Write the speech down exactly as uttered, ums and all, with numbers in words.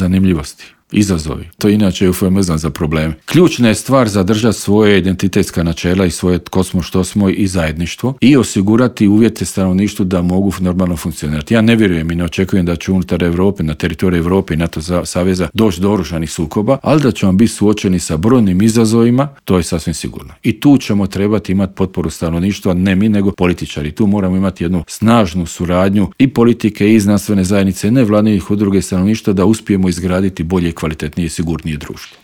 zanimljivosti. Izazovi. To je inače eufemizam za probleme. Ključna je stvar zadržati svoje identitetska načela i svoje tko smo, što smo i zajedništvo i osigurati uvjete stanovništvu da mogu normalno funkcionirati. Ja ne vjerujem i ne očekujem da će unutar Europe, na teritoriju Europe i NATO saveza doći do oružanih sukoba, ali da ćemo biti suočeni sa brojnim izazovima, to je sasvim sigurno. I tu ćemo trebati imati potporu stanovništva, ne mi nego političari. Tu moramo imati jednu snažnu suradnju i politike i znanstvene zajednice, nevladinih udruga i stanovništva da uspijemo izgraditi bolje, kvalitetnije i sigurnije društvo.